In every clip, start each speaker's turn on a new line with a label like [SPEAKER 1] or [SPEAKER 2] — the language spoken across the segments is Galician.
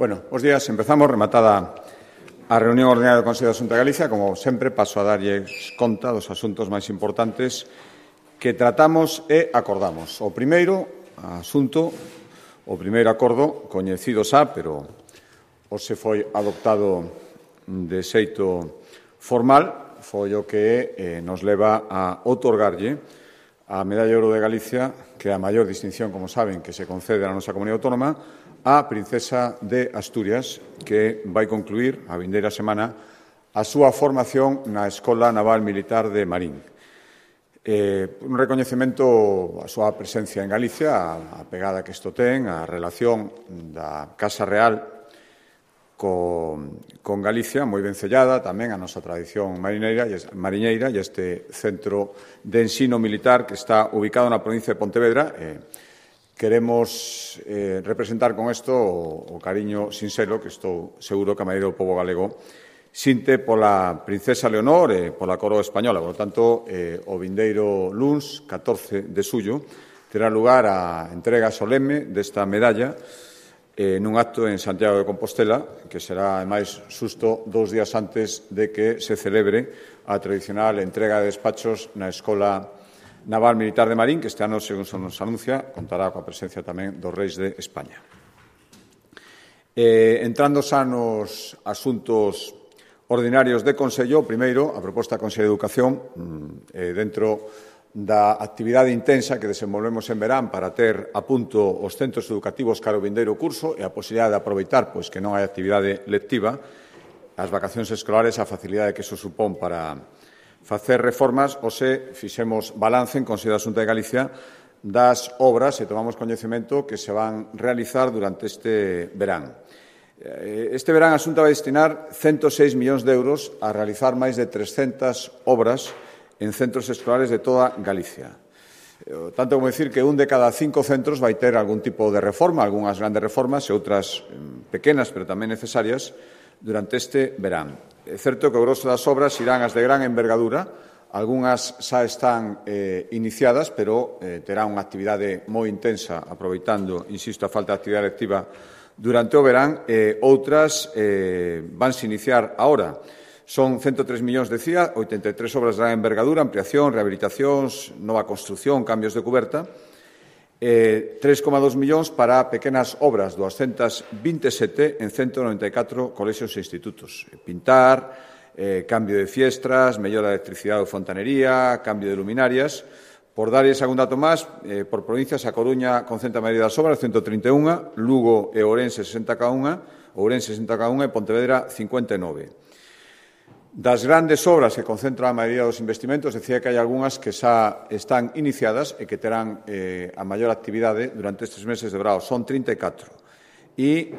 [SPEAKER 1] Bueno, bos días. Empezamos rematada a reunión ordinaria do Consello da Xunta de Galicia. Como sempre, paso a darlles conta dos asuntos máis importantes que tratamos e acordamos. O primeiro asunto, o primeiro acordo, coñecido xa, pero hoxe foi adoptado de xeito formal, foi o que nos leva a outorgarlle a Medalla de Ouro de Galicia, que é a maior distinción, como saben, que se concede na nosa comunidade autónoma, a Princesa de Asturias, que vai concluir a vindeira semana a súa formación na Escola Naval Militar de Marín. Un recoñecemento a súa presencia en Galicia, a pegada que isto ten, a relación da Casa Real con Galicia, moi ben sellada, tamén a nosa tradición mariñeira e este centro de ensino militar que está ubicado na provincia de Pontevedra. Queremos representar con isto o cariño sincero que estou seguro que a maioría do pobo galego sinte pola princesa Leonor e pola coroa española. Por lo tanto, o vindeiro luns, 14 de xullo, terá lugar a entrega solemne desta medalla nun acto en Santiago de Compostela, que será, ademais, xusto 2 días antes de que se celebre a tradicional entrega de despachos na Escola Naval Militar de Marín, que este ano, según se nos anuncia, contará coa presencia tamén dos reis de España. Entrando xa nos asuntos ordinarios de Consello, primeiro, a proposta da Consello de Educación, dentro da actividade intensa que desenvolvemos en verán para ter a punto os centros educativos cara ao vindeiro curso e a posibilidade de aproveitar pois que non hai actividade lectiva, as vacacións escolares, a facilidade que iso supón para facer reformas, hoxe fixemos balance en Consello da Xunta de Galicia das obras e tomamos coñecemento que se van realizar durante este verán. Este verán a Xunta vai destinar 106 millóns de euros a realizar máis de 300 obras en centros escolares de toda Galicia. Tanto como decir que un de cada 5 centros vai ter algún tipo de reforma, algunhas grandes reformas e outras pequenas, pero tamén necesarias, durante este verán. É certo que o grosso das obras irán as de gran envergadura, algunhas xa están iniciadas, pero terán unha actividade moi intensa, aproveitando, insisto, a falta de actividade lectiva durante o verán, outras vanse iniciar agora. Son 103 millóns, decía, 83 obras de gran envergadura, ampliación, rehabilitacións, nova construción, cambios de cuberta, 3,2 millóns para pequenas obras, 227 en 194 colexios e institutos. Pintar, cambio de fiestras, mellora de electricidade ou fontanería, cambio de luminarias. Por darlles algún dato máis, por provincias, a Coruña concentra a maioría das obras, 131, Lugo e Ourense, 60 cada unha, Ourense, 60 cada unha e Pontevedra, 59. Das grandes obras que concentran a maioría dos investimentos, decía que hai algunhas que xa están iniciadas e que terán a maior actividade durante estes meses de verão. Son 34. E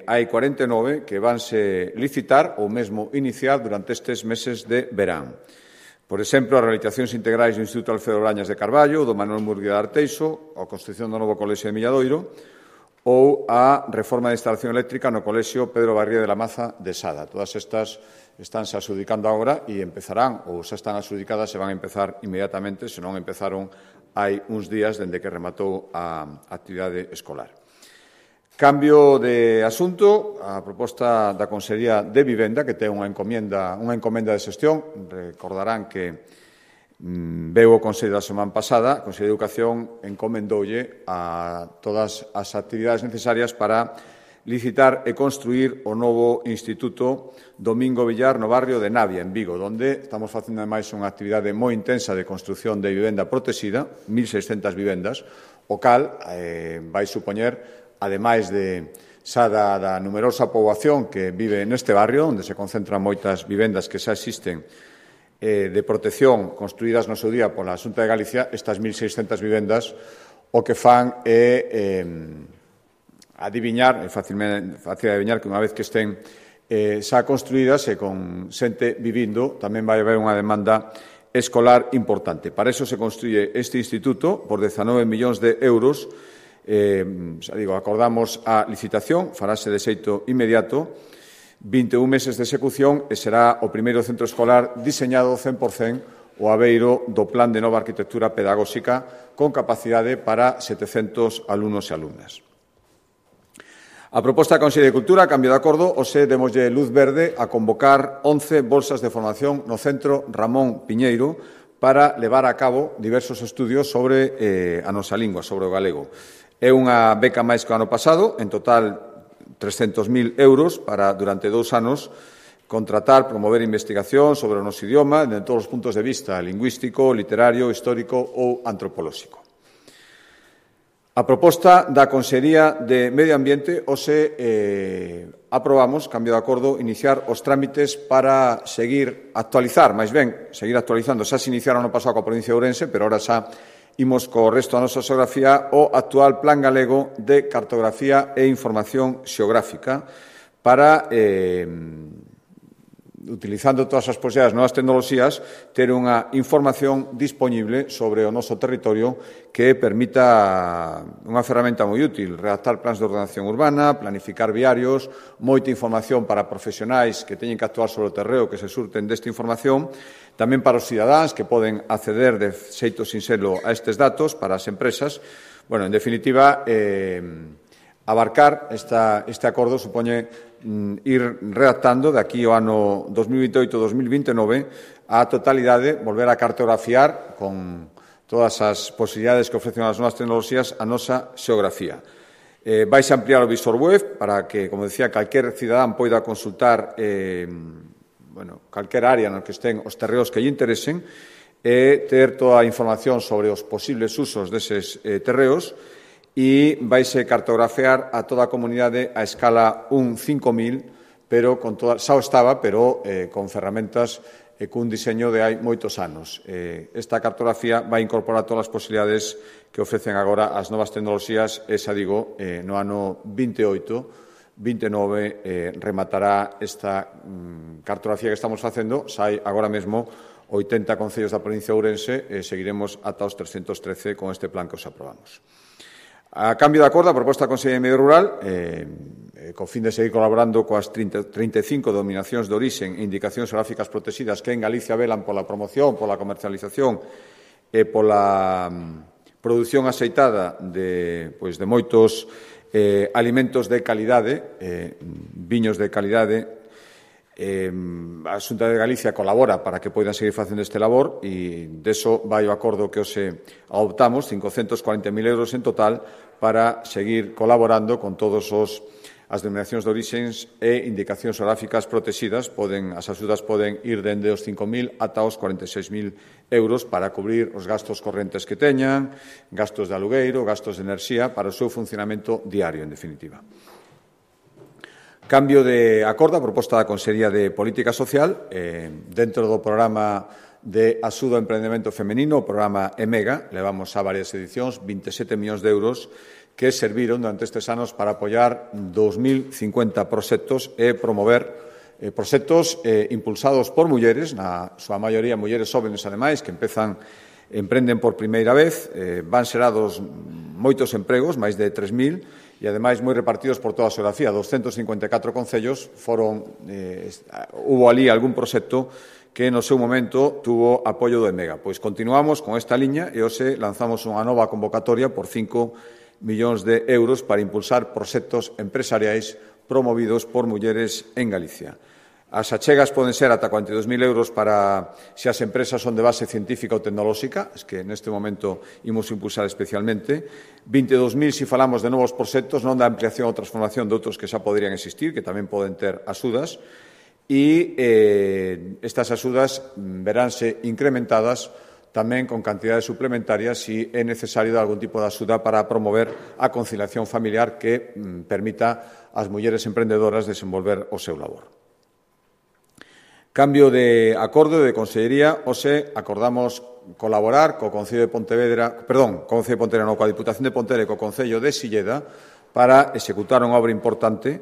[SPEAKER 1] hai 49 que vanse licitar ou mesmo iniciar durante estes meses de verán. Por exemplo, as rehabilitacións integrais do Instituto Alfredo Brañas de Carballo, do Manuel Murguía de Arteixo, a construción do novo colexio de Milladoiro ou a reforma de instalación eléctrica no colexio Pedro Barría de la Maza de Sada. Todas estas estánse adxudicando agora e empezarán, ou xa están adxudicadas e van a empezar inmediatamente, se non empezaron hai uns días dende que rematou a actividade escolar. Cambio de asunto, a proposta da Consellería de Vivenda, que ten unha encomenda de xestión. Recordarán que veu o Consello da semana pasada, a Consello de Educación encomendoulle a todas as actividades necesarias para licitar e construir o novo Instituto Domingo Villar no barrio de Navia, en Vigo, onde estamos facendo, ademais, unha actividade moi intensa de construción de vivenda protexida, 1.600 vivendas, o cal vai supoñer, ademais de xa da numerosa poboación que vive neste barrio, onde se concentran moitas vivendas que xa existen de protección construídas no seu día pola Xunta de Galicia, estas 1.600 vivendas o que fan é adiviñar, é fácil adiviñar que unha vez que estén xa construídas e con xente vivindo, tamén vai haber unha demanda escolar importante. Para iso se construye este instituto por 19 millóns de euros. Acordamos a licitación, farase de xeito inmediato, 21 meses de execución e será o primeiro centro escolar diseñado 100% o abeiro do Plan de Nova Arquitectura Pedagóxica con capacidade para 700 alumnos e alumnas. A proposta da Consellería de Cultura, a cambio de acordo, hoxe demoslle luz verde a convocar 11 bolsas de formación no Centro Ramón Piñeiro para levar a cabo diversos estudios sobre a nosa lingua, sobre o galego. É unha beca máis que o ano pasado, en total 300.000 euros para, durante 2 anos, contratar, promover investigación sobre o noso idioma en todos os puntos de vista, lingüístico, literario, histórico ou antropolóxico. A proposta da Consellería de Medio Ambiente hoxe aprobamos, cambio de acordo, iniciar os trámites para seguir seguir actualizando. Xa se iniciaron no pasado coa provincia de Ourense, pero ahora xa imos co resto da nosa xeografía o actual Plan Galego de Cartografía e Información Xeográfica para utilizando todas as posibilidades novas tecnoloxías, ter unha información disponible sobre o noso territorio que permita unha ferramenta moi útil, redactar plans de ordenación urbana, planificar viarios, moita información para profesionais que teñen que actuar sobre o terreo que se surten desta información, tamén para os cidadáns que poden acceder de xeito sinxelo a estes datos, para as empresas. Bueno, en definitiva, abarcar este acordo supoñe ir redactando de aquí ao ano 2028-2029 a totalidade, volver a cartografiar con todas as posibilidades que ofrecen as novas tecnoloxías a nosa xeografía. Vais a ampliar o visor web para que, como decía, calquer cidadán poida consultar calquer área no que estén os terreos que lle interesen e ter toda a información sobre os posibles usos deses terreos e vaise cartografiar a toda a comunidade a escala 1:5000, pero con toda, xa o estaba, pero con ferramentas e cun diseño de hai moitos anos. Esta cartografía vai incorporar todas as posibilidades que ofrecen agora as novas tecnoloxías e, xa digo, no ano 28-29 rematará esta cartografía que estamos facendo. Xa hai agora mesmo 80 concellos da provincia de Ourense e seguiremos ata os 313 con este plan que os aprobamos. A cambio de acordo, a proposta da Consellería de Medio Rural, co fin de seguir colaborando coas 35 denominacións de orixen e indicacións xeográficas protegidas que en Galicia velan pola promoción, pola comercialización e pola produción aceitada de moitos alimentos de calidade, viños de calidade. A Xunta de Galicia colabora para que poidan seguir facendo este labor e deso vai o acordo que hoxe adoptamos, 540.000 euros en total, para seguir colaborando con todos as denominacións de orixens e indicacións xeográficas protegidas. As axudas poden ir dende os 5.000 ata os 46.000 euros para cubrir os gastos correntes que teñan, gastos de alugueiro, gastos de enerxía, para o seu funcionamento diario, en definitiva. Cambio de acordo, a proposta da Consellería de Política Social, dentro do programa de axuda ao emprendemento femenino, o programa EMEGA, levamos a varias edicións, 27 millóns de euros, que serviron durante estes anos para apoiar 2.050 proxectos e promover proxectos impulsados por mulleres, na súa maioría mulleres jóvenes, ademais, que emprenden por primeira vez, van xerados moitos empregos, máis de 3.000, e, ademais, moi repartidos por toda a xeografía. 254 concellos hubo ali algún proxecto que no seu momento tuvo apoio do EMEGA. Pois continuamos con esta liña e hoxe lanzamos unha nova convocatoria por 5 millóns de euros para impulsar proxectos empresariais promovidos por mulleres en Galicia. As achegas poden ser ata 42.000 euros para se as empresas son de base científica ou tecnolóxica, es que neste momento imos impulsar especialmente, 22.000 se falamos de novos proxectos, non da ampliación ou transformación de outros que xa poderían existir, que tamén poden ter axudas, e estas axudas veránse incrementadas tamén con cantidades suplementarias se é necesario dar algún tipo de axuda para promover a conciliación familiar que permita ás mulleres emprendedoras desenvolver o seu labor. Cambio de acordo de Consellería, hoxe acordamos colaborar co Concello de Pontevedra, coa Diputación de Pontevedra e co Concello de Silleda para executar unha obra importante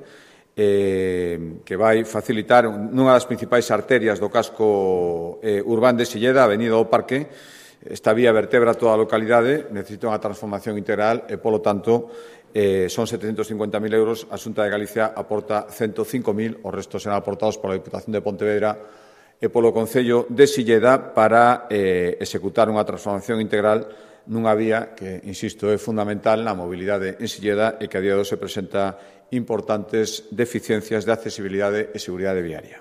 [SPEAKER 1] que vai facilitar nunha das principais arterias do casco urbán de Silleda, a Avenida do Parque. Esta vía vertebra toda a localidade, necesita unha transformación integral e, polo tanto, son 750.000 euros. A Xunta de Galicia aporta 105.000, os restos serán aportados pola Diputación de Pontevedra e polo Concello de Silleda para executar unha transformación integral nunha vía que, insisto, é fundamental na mobilidade en Silleda e que a día de hoxe presenta importantes deficiencias de accesibilidade e seguridade viaria.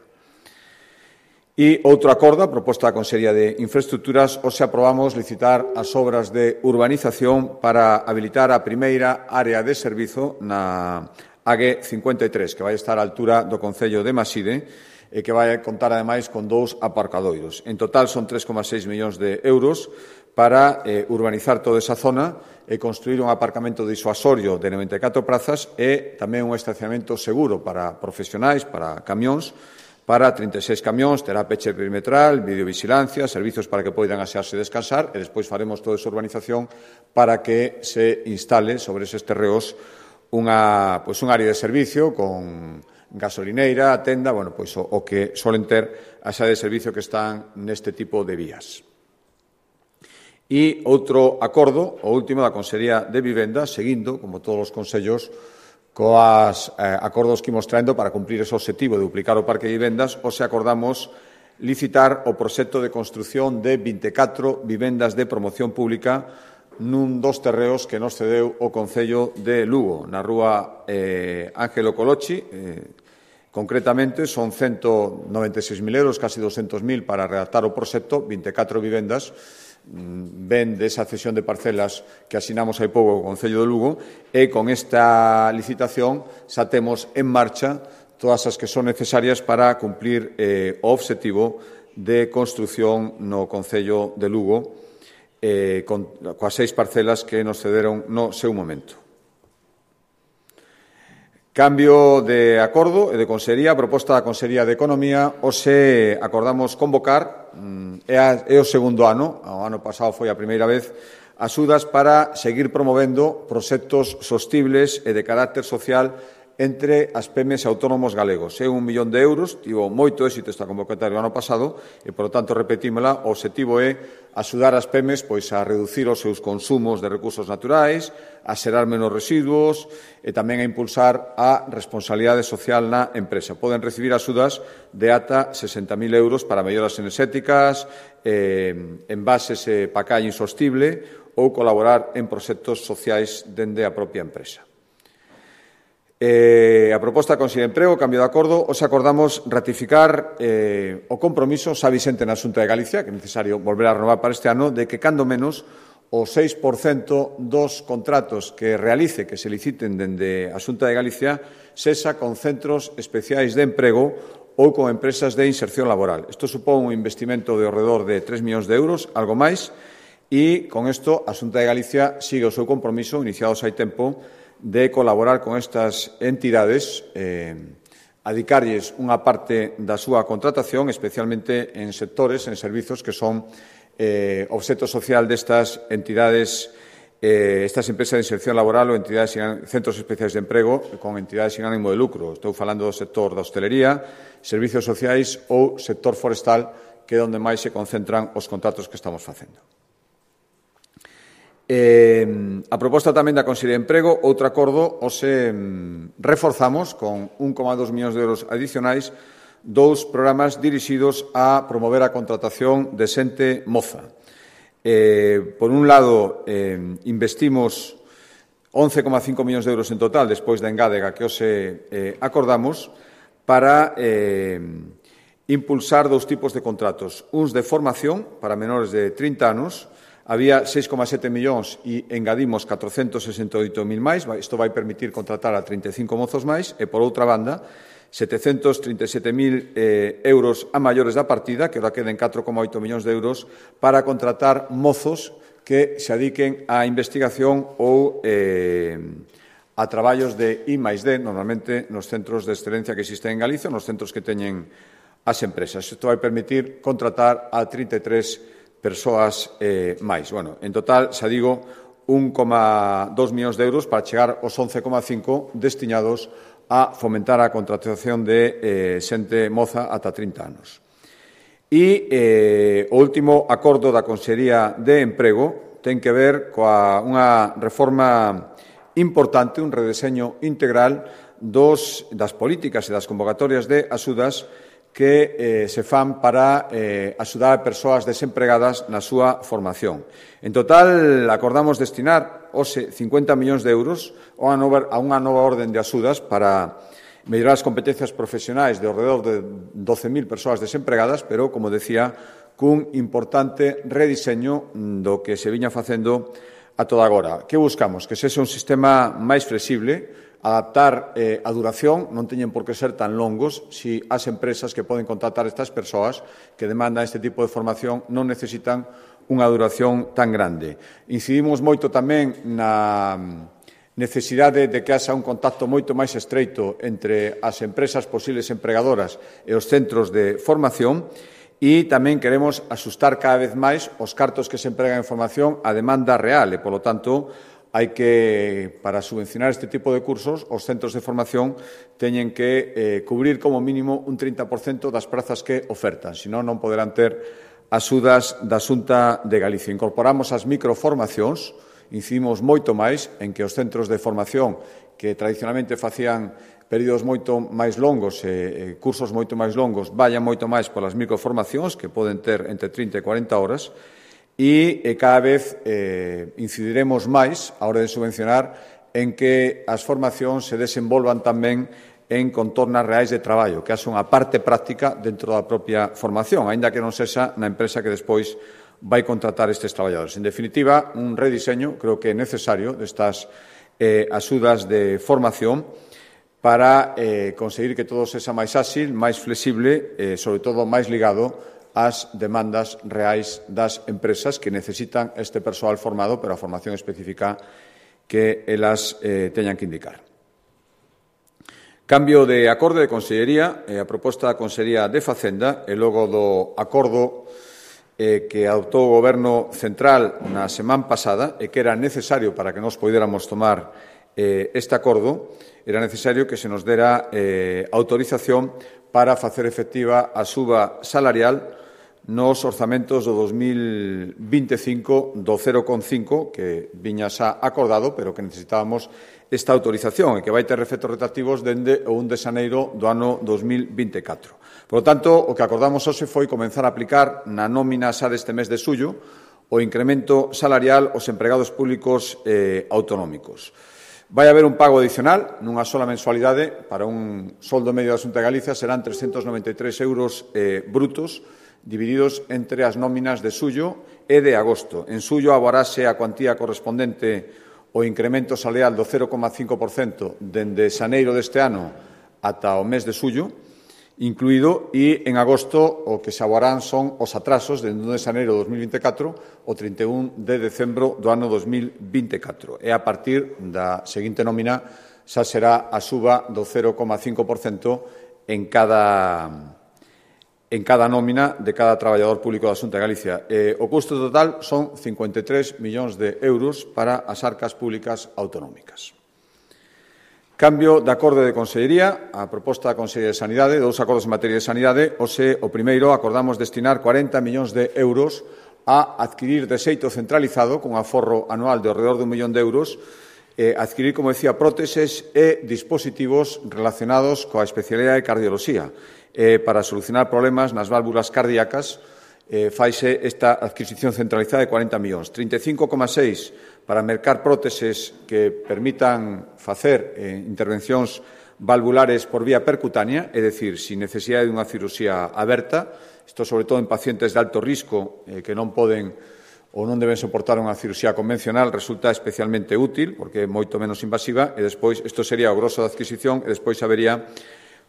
[SPEAKER 1] E outro acordo, a proposta da Consellería de Infraestructuras, hoxe aprobamos licitar as obras de urbanización para habilitar a primeira área de servizo na AG 53, que vai estar á altura do Concello de Maside, e que vai contar, ademais, con 2 aparcadoiros. En total, son 3,6 millóns de euros para urbanizar toda esa zona e construir un aparcamento disuasorio de 94 prazas e tamén un estacionamento seguro para profesionais, para camións, para 36 camións, terá peche perimetral, videovigilancia, servizos para que poidan asearse e descansar, e despois faremos toda esa urbanización para que se instale sobre eses terreos un área de servicio con gasolineira, tenda, o que solen ter as áreas de servicio que están neste tipo de vías. E outro acordo, o último da Consellería de Vivenda, seguindo, como todos os consellos, coas acordos que imos traendo para cumprir ese objetivo de duplicar o parque de vivendas, hoxe acordamos licitar o proxecto de construción de 24 vivendas de promoción pública nun dos terreos que nos cedeu o Concello de Lugo, na rúa Ángelo Colochi. Concretamente, son 196.000 euros, casi 200.000 para redactar o proxecto, 24 vivendas, ven desa cesión de parcelas que asinamos hai pouco co Concello de Lugo, e con esta licitación xa temos en marcha todas as que son necesarias para cumplir o obxectivo de construción no Concello de Lugo, coas 6 parcelas que nos cederon no seu momento. Cambio de acordo e de Consellería, a proposta da Consellería de Economía, hoxe acordamos convocar, é o segundo ano, o ano pasado foi a primeira vez, axudas para seguir promovendo proxectos sostibles e de carácter social entre as PEMES e autónomos galegos. É 1 millón de euros, tivo moito éxito esta convocatoria o ano pasado e, por lo tanto, repetímela, o obxectivo é axudar as PEMES a reducir os seus consumos de recursos naturais, a xerar menos residuos e tamén a impulsar a responsabilidade social na empresa. Poden recibir axudas de ata 60.000 euros para melloras enerxéticas, envases e pacalle insostible ou colaborar en proxectos sociais dende a propia empresa. A proposta da Consellería de Emprego, cambio de acordo, hoxe acordamos ratificar o compromiso xa vixente na Xunta de Galicia, que é necesario volver a renovar para este ano, de que, cando menos, o 6% dos contratos que realice, que se liciten dende a Xunta de Galicia, sexa con centros especiais de emprego ou con empresas de inserción laboral. Isto supón un investimento de ao redor de 3 millóns de euros, algo máis, e con isto a Xunta de Galicia sigue o seu compromiso, iniciados hai tempo, de colaborar con estas entidades, adicarlles unha parte da súa contratación, especialmente en sectores, en servizos que son obxecto social destas entidades, estas empresas de inserción laboral ou entidades, centros especiais de emprego con entidades sin ánimo de lucro. Estou falando do sector da hostelería, servizos sociais ou sector forestal, que é onde máis se concentran os contratos que estamos facendo. A proposta tamén da Consellería de Emprego, outro acordo, hoxe reforzamos con 1,2 millóns de euros adicionais 2 programas dirixidos a promover a contratación de xente moza. Por un lado, investimos 11,5 millóns de euros en total, despois da engádega que hoxe acordamos, para impulsar 2 tipos de contratos. Uns de formación para menores de 30 anos, había 6,7 millóns e engadimos 468.000 máis. Isto vai permitir contratar a 35 mozos máis e, por outra banda, 737.000 euros a maiores da partida, que ora queden 4,8 millóns de euros, para contratar mozos que se adiquen á investigación ou a traballos de I+D, normalmente nos centros de excelencia que existen en Galicia, nos centros que teñen as empresas. Isto vai permitir contratar a 33 persoas máis. En total, xa digo, 1,2 millóns de euros para chegar aos 11,5 destinados a fomentar a contratación de xente moza ata 30 anos. E o último acordo da Consellería de Emprego ten que ver coa unha reforma importante, un redeseño integral das políticas e das convocatorias de axudas que se fan para axudar a persoas desempregadas na súa formación. En total, acordamos destinar hoxe 50 millóns de euros a unha nova orden de axudas para mellorar as competencias profesionais de alrededor de 12.000 persoas desempregadas, pero, como decía, cun importante rediseño do que se viña facendo a toda agora. Que buscamos? Que sexa un sistema máis flexible, adaptar a duración, non teñen por que ser tan longos si as empresas que poden contratar estas persoas que demandan este tipo de formación non necesitan unha duración tan grande. Incidimos moito tamén na necesidade de que haxa un contacto moito máis estreito entre as empresas posibles empregadoras e os centros de formación e tamén queremos asustar cada vez máis os cartos que se empregan en formación á demanda real e, polo tanto, hai que, para subvencionar este tipo de cursos, os centros de formación teñen que cubrir como mínimo un 30% das prazas que ofertan, senón non poderán ter axudas da Xunta de Galicia. Incorporamos as microformacións, incidimos moito máis en que os centros de formación que tradicionalmente facían períodos moito máis longos e cursos moito máis longos vayan moito máis polas microformacións, que poden ter entre 30 e 40 horas, e cada vez incidiremos máis, a hora de subvencionar, en que as formacións se desenvolvan tamén en contornas reais de traballo, que haxa unha parte práctica dentro da propia formación, aínda que non sexa na empresa que despois vai contratar estes traballadores. En definitiva, un rediseño, creo que é necesario, destas axudas de formación para conseguir que todo sexa máis áxil, máis flexible e, sobre todo, máis ligado as demandas reais das empresas que necesitan este persoal formado, pero a formación específica que elas teñan que indicar. Cambio de acordo de Consellería, a proposta da Consellería de Facenda e logo do acordo que adoptou o Goberno Central na semana pasada e que era necesario para que nos poidéramos tomar este acordo, era necesario que se nos dera autorización para facer efectiva a suba salarial nos orzamentos do 2025 do 0,5, que viña xa acordado, pero que necesitábamos esta autorización e que vai ter efectos retroactivos dende o 1 de xaneiro do ano 2024. Por lo tanto, o que acordamos hoxe foi comenzar a aplicar na nómina xa deste mes de xullo o incremento salarial aos empregados públicos autonómicos. Vai haber un pago adicional nunha sola mensualidade para un soldo medio da Xunta de Galicia, serán 393 euros brutos, divididos entre as nóminas de xullo e de agosto. En xullo aborase a cuantía correspondente ao incremento salarial do 0,5% dende xaneiro deste ano ata o mes de xullo, incluído, e en agosto o que se aborarán son os atrasos dende o 1 de xaneiro de 2024 ao 31 de decembro do ano 2024. E a partir da seguinte nómina xa será a suba do 0,5% en cada nómina de cada traballador público da Xunta de Galicia. O custo total son 53 millóns de euros para as arcas públicas autonómicas. Cambio de acordo de Consellería, a proposta da Consellería de Sanidade, dous acordos en materia de sanidade. Hoxe, o primeiro, acordamos destinar 40 millóns de euros a adquirir de xeito centralizado, con aforro anual de alrededor de 1 millón de euros, adquirir, como decía, próteses e dispositivos relacionados coa especialidade de cardioloxía. Para solucionar problemas nas válvulas cardíacas, faise esta adquisición centralizada de 40 millóns. 35,6 para mercar próteses que permitan facer intervencións valvulares por vía percutánea, é dicir, sin necesidade de unha cirurxía aberta, isto sobre todo en pacientes de alto risco que non poden ou non deben soportar unha cirurxía convencional, resulta especialmente útil, porque é moito menos invasiva, e despois, isto sería o grosso da adquisición, e despois habería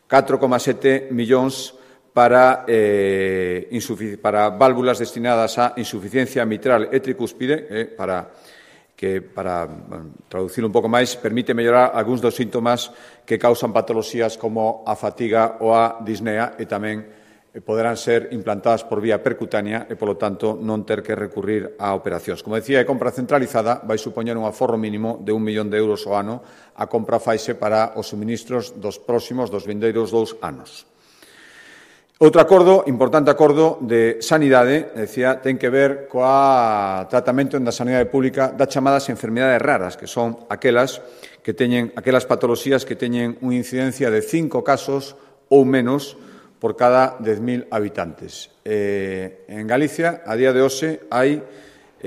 [SPEAKER 1] 4,7 millóns para válvulas destinadas a insuficiencia mitral e tricúspide, para traducir un pouco máis, permite mellorar algúns dos síntomas que causan patoloxías como a fatiga ou a disnea e tamén poderán ser implantadas por vía percutánea e, polo tanto, non ter que recurrir a operacións. Como decía, a compra centralizada vai supoñer un aforro mínimo de 1 millón de euros ao ano. A compra faise para os suministros dos vindeiros 2 anos. Outro acordo, importante acordo de sanidade, decía, ten que ver coa tratamento da sanidade pública das chamadas enfermidades raras, que son aquelas patoloxías que teñen unha incidencia de 5 casos ou menos por cada 10.000 habitantes. En Galicia, a día de hoxe, hai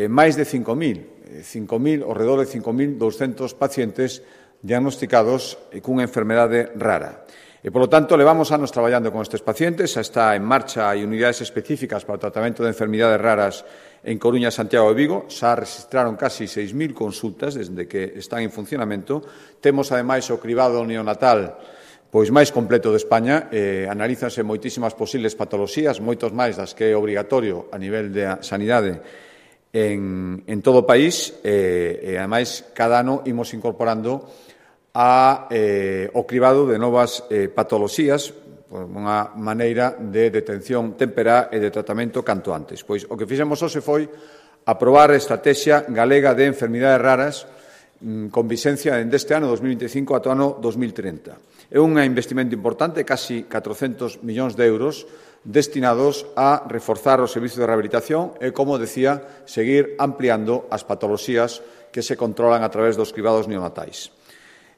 [SPEAKER 1] máis de 5.000, ao redor de 5.200 pacientes diagnosticados cunha enfermedade rara. E, polo tanto, levamos anos traballando con estes pacientes, xa está en marcha, hai unidades específicas para o tratamento de enfermidades raras en Coruña, Santiago e Vigo, xa registraron casi 6.000 consultas desde que están en funcionamento. Temos, ademais, o cribado neonatal pois máis completo de España, analízanse moitísimas posibles patoloxías, moitos máis das que é obrigatorio a nivel de sanidade en todo o país, e, ademais, cada ano imos incorporando o cribado de novas patoloxías, unha maneira de detención temperá e de tratamento canto antes. Pois o que fixemos hoxe foi aprobar a Estrategia Galega de Enfermidades Raras con vixencia deste ano 2025 ata o ano 2030. É un investimento importante, casi 400 millóns de euros, destinados a reforzar o servizo de rehabilitación e, como decía, seguir ampliando as patoloxías que se controlan a través dos cribados neonatais.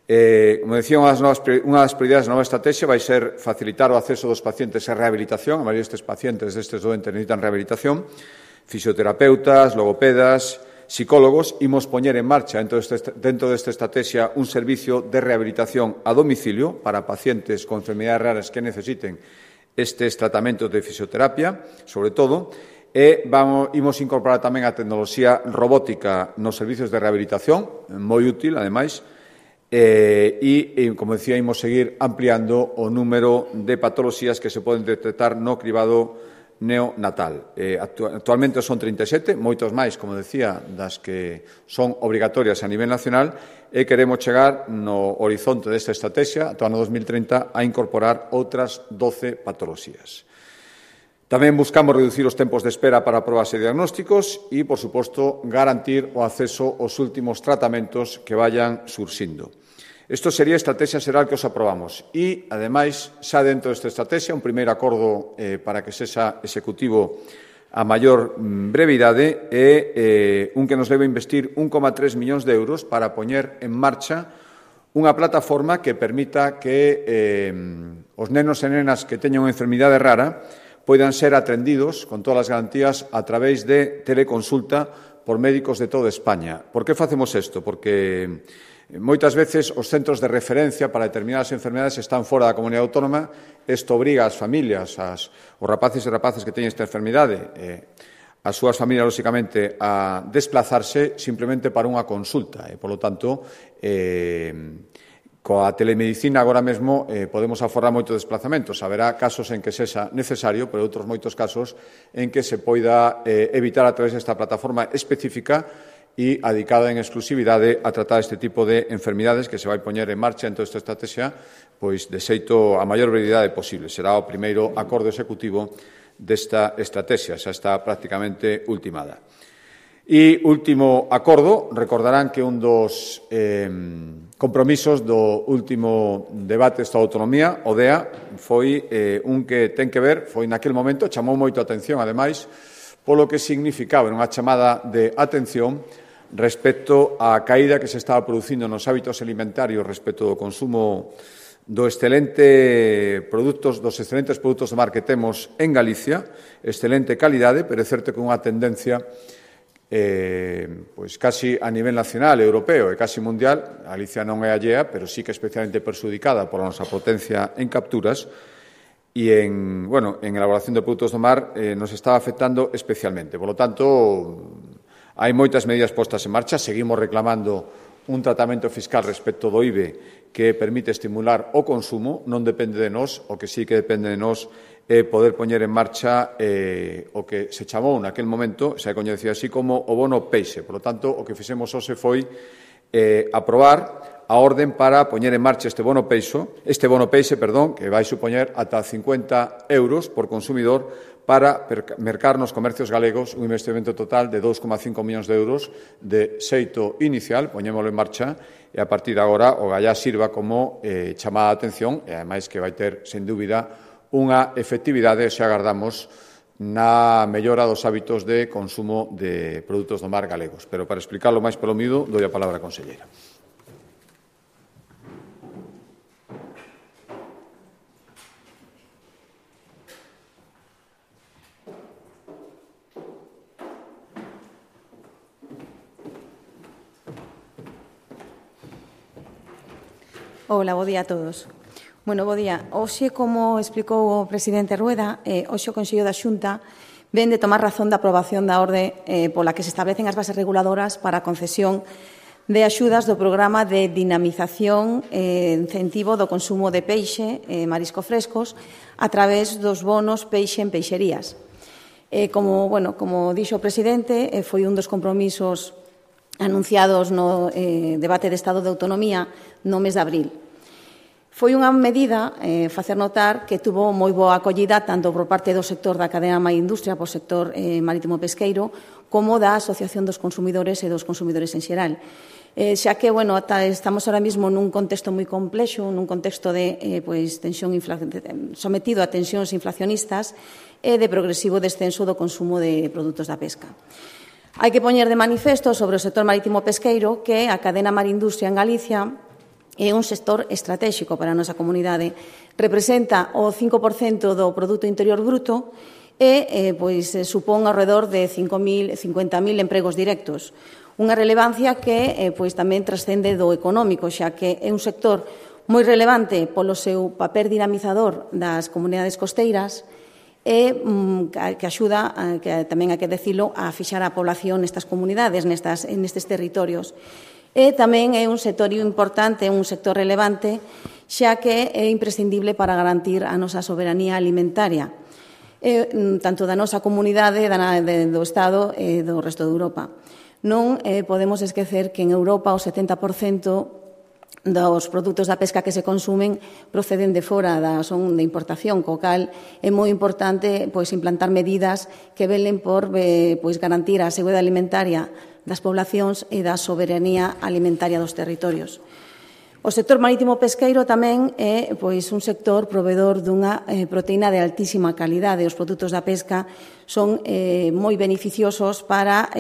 [SPEAKER 1] Como decía, unha das prioridades da nova estrategia vai ser facilitar o acceso dos pacientes a rehabilitación. A maioría destes pacientes destes doentes necesitan rehabilitación. Fisioterapeutas, logopedas, psicólogos. Imos poñer en marcha dentro desta estrategia un servicio de rehabilitación a domicilio para pacientes con enfermedades raras que necesiten estes tratamentos de fisioterapia, sobre todo. E imos incorporar tamén a tecnoloxía robótica nos servicios de rehabilitación, moi útil, ademais. E, como decía, imos seguir ampliando o número de patoloxías que se poden detectar no cribado neonatal. Actualmente son 37, moitos máis, como decía, das que son obrigatorias a nivel nacional, e queremos chegar no horizonte desta estrategia, ata o ano 2030, a incorporar outras 12 patoloxías. Tamén buscamos reducir os tempos de espera para probas e diagnósticos e, por suposto, garantir o acceso aos últimos tratamentos que vayan surxindo. Isto sería a estrategia xeral que os aprobamos. E, ademais, xa dentro desta estrategia, un primeiro acordo para que sexa executivo a maior brevidade é un que nos debe investir 1,3 millóns de euros para poñer en marcha unha plataforma que permita que os nenos e nenas que teñan unha enfermidade rara poidan ser atendidos con todas as garantías a través de teleconsulta por médicos de toda España. Por que facemos isto? Porque moitas veces os centros de referencia para determinadas enfermedades están fora da comunidade autónoma. Isto obriga ás familias, os rapaces e rapazas que teñen esta enfermidade, as súas familias, lóxicamente, a desplazarse simplemente para unha consulta. Por lo tanto, coa telemedicina agora mesmo podemos aforrar moitos desplazamentos. Haberá casos en que sexa necesario, pero outros moitos casos en que se poida evitar a través desta plataforma específica e adicada en exclusividade a tratar este tipo de enfermidades que se vai poñer en marcha en toda esta estrategia, pois de xeito a maior brevidade posible. Será o primeiro acordo executivo desta estrategia, xa está prácticamente ultimada. E último acordo, recordarán que un dos compromisos do último debate da autonomía, o DEA, foi un que ten que ver, foi naquel momento, chamou moito a atención, ademais, polo que significaba unha chamada de atención respecto á caída que se estaba producindo nos hábitos alimentarios respecto do consumo dos excelentes produtos do mar que temos en Galicia, excelente calidade, pero é certo que unha tendencia pois casi a nivel nacional, europeo e casi mundial. Galicia non é allea, pero sí que é especialmente perxudicada pola nosa potencia en capturas e en elaboración de produtos do mar nos estaba afectando especialmente. Por lo tanto, hai moitas medidas postas en marcha. Seguimos reclamando un tratamento fiscal respecto do IBE que permite estimular o consumo. Non depende de nós, o que sí que depende de nós é poder poñer en marcha o que se chamou naquel momento, se coñecía así como o bono peixe. Por lo tanto, o que fixemos hoxe foi aprobar a orden para poñer en marcha este bono peixe, que vai supoñer ata 50 euros por consumidor para mercar nos comercios galegos un investimento total de 2,5 millóns de euros de xeito inicial. Poñémolo en marcha e a partir de agora o gallá sirva como chamada de atención e, ademais, que vai ter, sen dúbida, unha efectividade, se agardamos, na mellora dos hábitos de consumo de produtos do mar galegos. Pero, para explicarlo máis polo miúdo, doi a palabra á conselleira.
[SPEAKER 2] Hola, bo día a todos. Bueno, bo día. Hoxe, como explicou o presidente Rueda, hoxe o Consello da Xunta ven de tomar razón da aprobación da orde pola que se establecen as bases reguladoras para a concesión de axudas do programa de dinamización e incentivo do consumo de peixe, marisco frescos, a través dos bonos peixe en peixerías. Como dixo o presidente, foi un dos compromisos anunciados no debate de Estado de Autonomía no mes de abril. Foi unha medida, facer notar, que tuvo moi boa acollida tanto por parte do sector da cadena Maindustria, por sector marítimo pesqueiro, como da Asociación dos Consumidores e dos Consumidores en xeral. Xa que, estamos ahora mesmo nun contexto moi complexo, nun contexto de sometido a tensións inflacionistas e de progresivo descenso do consumo de produtos da pesca. Hai que poñer de manifesto sobre o sector marítimo pesqueiro que a cadena Marindustria en Galicia é un sector estratégico para a nosa comunidade. Representa o 5% do Produto Interior Bruto e supón alrededor de 50.000 empregos directos. Unha relevancia que tamén trascende do económico, xa que é un sector moi relevante polo seu papel dinamizador das comunidades costeiras e que axuda, que tamén hai que decilo, a fixar a población nestas comunidades, nestes territorios. E tamén é un sector importante, un sector relevante, xa que é imprescindible para garantir a nosa soberanía alimentaria, tanto da nosa comunidade, do Estado e do resto de Europa. Non podemos esquecer que en Europa o 70% dos produtos da pesca que se consumen proceden de fora, son de importación, co cal é moi importante implantar medidas que velen por garantir a seguridade alimentaria das poblacións e da soberanía alimentaria dos territorios. O sector marítimo pesqueiro tamén é un sector provedor dunha proteína de altísima calidade. Os produtos da pesca son moi beneficiosos para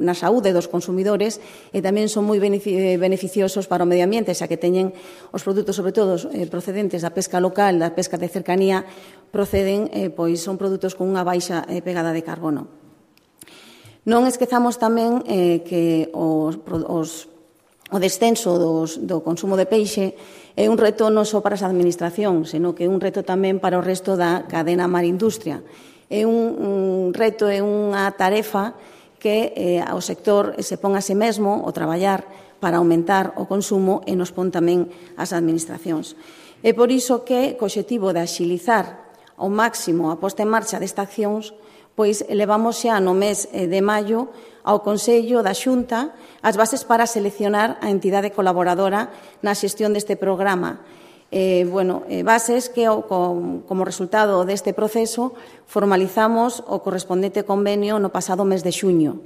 [SPEAKER 2] na saúde dos consumidores e tamén son moi beneficiosos para o medio ambiente, xa que teñen os produtos, sobre todo procedentes da pesca local, da pesca de cercanía, son produtos con unha baixa pegada de carbono. Non esquezamos tamén que o descenso do consumo de peixe é un reto non só para as administracións, senón que é un reto tamén para o resto da cadena Marindustria. É un reto, é unha tarefa que o sector se pon a si mesmo o traballar para aumentar o consumo e nos pon tamén as administracións. É por iso que, co obxectivo de axilizar ao máximo a posta en marcha destas accións, elevamos xa no mes de maio ao Consello da Xunta as bases para seleccionar a entidade colaboradora na xestión deste programa. Bases que, como resultado deste proceso, formalizamos o correspondente convenio no pasado mes de xuño.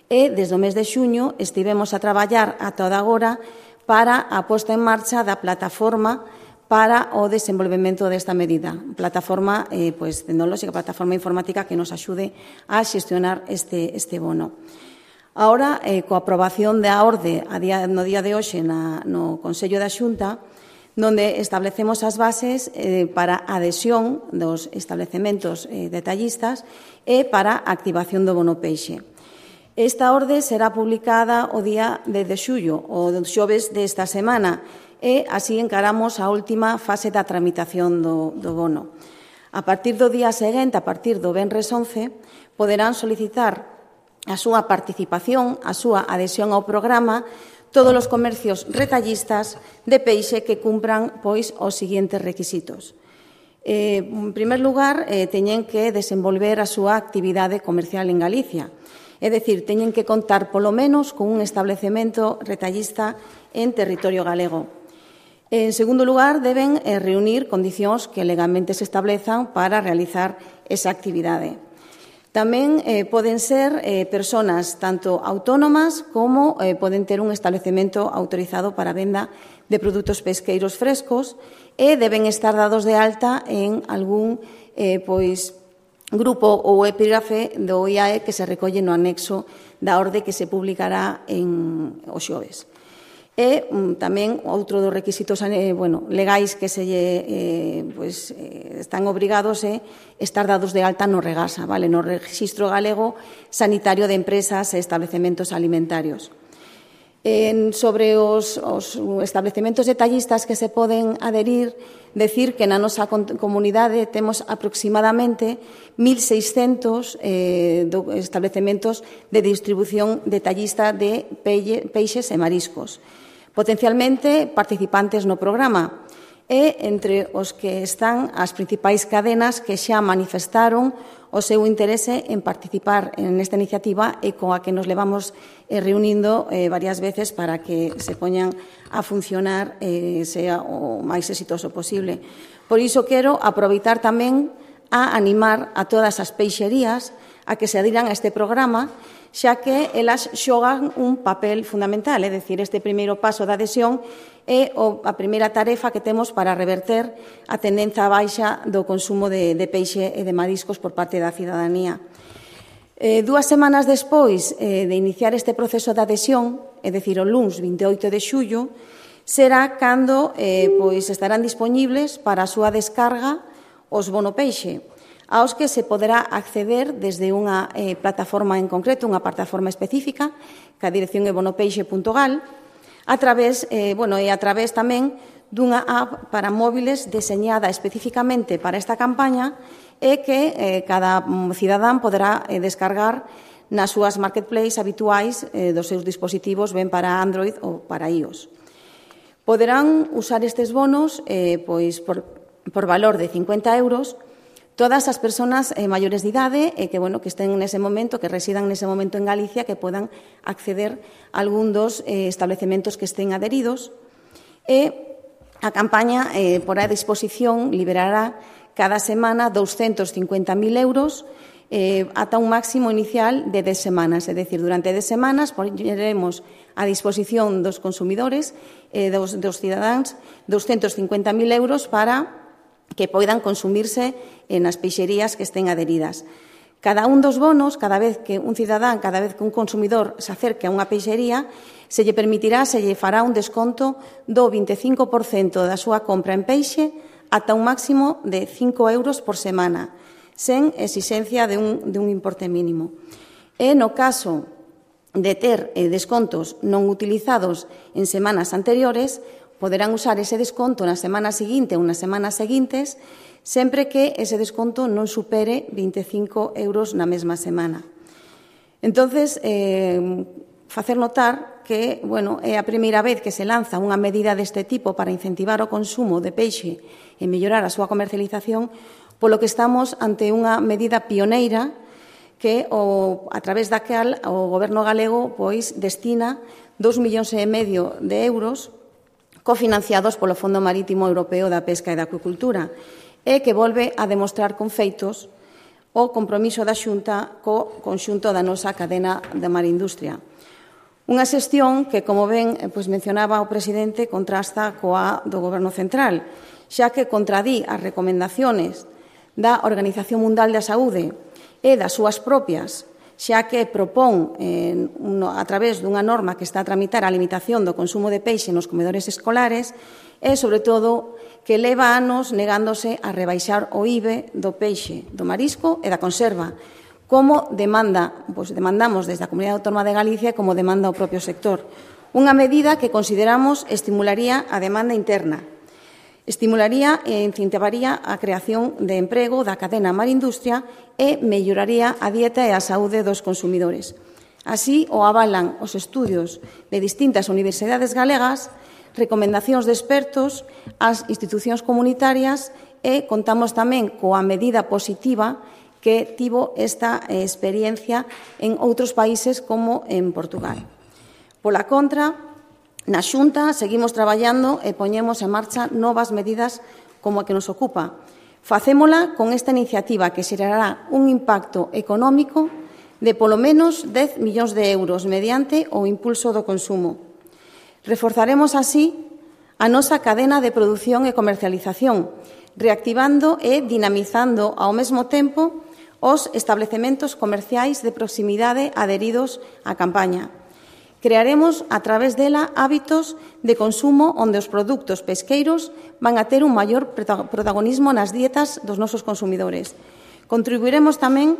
[SPEAKER 2] E, desde o mes de xuño, estivemos a traballar ata agora para a posta en marcha da plataforma para o desenvolvemento desta medida. Plataforma tecnolóxica, plataforma informática que nos axude a xestionar este bono. Ahora, coa aprobación da orde no día de hoxe no Consello da Xunta, onde establecemos as bases para a adhesión dos establecementos detallistas e para a activación do bono peixe. Esta orde será publicada o día de xullo, o xoves desta semana, e así encaramos a última fase da tramitación do bono. A partir do día seguinte, a partir do venres 11, poderán solicitar a súa participación, a súa adhesión ao programa, todos os comercios retallistas de peixe que cumpran os seguintes requisitos. En primer lugar, teñen que desenvolver a súa actividade comercial en Galicia. É dicir, teñen que contar polo menos con un establecemento retallista en territorio galego. En segundo lugar, deben reunir condicións que legalmente se establezan para realizar esa actividade. Tamén poden ser persoas tanto autónomas como poden ter un establecemento autorizado para a venda de produtos pesqueiros frescos e deben estar dados de alta en algún grupo ou epígrafe do IAE que se recolle no anexo da orde que se publicará o xoves. E tamén outro dos requisitos legais que están obrigados é estar dados de alta no Regasa, no Rexistro Galego Sanitario de Empresas e Establecementos Alimentarios. Sobre os establecementos detallistas que se poden adherir, decir que na nosa comunidade temos aproximadamente 1.600 establecementos de distribución detallista de peixes e mariscos, potencialmente participantes no programa, e entre os que están as principais cadenas que xa manifestaron o seu interese en participar nesta iniciativa e coa que nos levamos reunindo varias veces para que se poñan a funcionar e sea o máis exitoso posible. Por iso quero aproveitar tamén a animar a todas as peixerías a que se adiran a este programa, xa que elas xogan un papel fundamental, é dicir, este primeiro paso da adhesión é a primeira tarefa que temos para reverter a tendencia baixa do consumo de peixe e de mariscos por parte da cidadanía. 2 semanas despois de iniciar este proceso de adhesión, é dicir, o luns 28 de xullo, será cando estarán dispoñibles para a súa descarga os bono peixe, aos que se poderá acceder desde unha plataforma en concreto, unha plataforma específica, que a dirección é bonopeixe.gal, a través tamén dunha app para móviles deseñada especificamente para esta campaña e que cada cidadán poderá descargar nas súas marketplaces habituais dos seus dispositivos, ben para Android ou para iOS. Poderán usar estes bonos por valor de 50 euros todas as persoas maiores de idade que estén nese momento, que residan nese momento en Galicia, que podan acceder a algún dos establecementos que estén adheridos. E a campaña porá a disposición, liberará cada semana 250.000 euros ata un máximo inicial de 10 semanas. É dicir, durante 10 semanas poñeremos a disposición dos consumidores, dos cidadáns, 250.000 euros para que poidan consumirse nas peixerías que estén adheridas. Cada un dos bonos, cada vez que un cidadán, cada vez que un consumidor se acerque a unha peixería, se lle permitirá, se lle fará un desconto do 25% da súa compra en peixe ata un máximo de 5 euros por semana, sen exigencia de un importe mínimo. E no caso de ter descontos non utilizados en semanas anteriores, poderán usar ese desconto na semana seguinte ou nas semanas seguintes, sempre que ese desconto non supere 25 euros na mesma semana. Entonces, facer notar que é a primeira vez que se lanza unha medida deste tipo para incentivar o consumo de peixe e mellorar a súa comercialización, polo que estamos ante unha medida pioneira que, a través da cal o Goberno galego destina 2,5 millóns de euros cofinanciados polo Fondo Marítimo Europeo da Pesca e da Acuicultura, e que volve a demostrar con feitos o compromiso da Xunta co conxunto da nosa cadena da marindustria. Unha xestión que, como ben mencionaba o presidente, contrasta coa do Goberno central, xa que contradí as recomendaciones da Organización Mundial da Saúde e das súas propias, xa que propón, a través dunha norma que está a tramitar a limitación do consumo de peixe nos comedores escolares e, sobre todo, que leva anos negándose a rebaixar o IVE do peixe, do marisco e da conserva, como demandamos desde a Comunidade Autónoma de Galicia e como demanda o propio sector. Unha medida que consideramos estimularía a demanda interna, estimularía e incentivaría a creación de emprego da cadena marindustria e melloraría a dieta e a saúde dos consumidores. Así o avalan os estudios de distintas universidades galegas, recomendacións de expertos, as institucións comunitarias e contamos tamén coa medida positiva que tivo esta experiencia en outros países como en Portugal. Pola contra, na Xunta seguimos traballando e poñemos en marcha novas medidas como a que nos ocupa. Facémola con esta iniciativa que xerará un impacto económico de polo menos 10 millóns de euros mediante o impulso do consumo. Reforzaremos así a nosa cadena de produción e comercialización, reactivando e dinamizando ao mesmo tempo os establecementos comerciais de proximidade adheridos á campaña. Crearemos, a través dela, hábitos de consumo onde os produtos pesqueiros van a ter un maior protagonismo nas dietas dos nosos consumidores. Contribuiremos tamén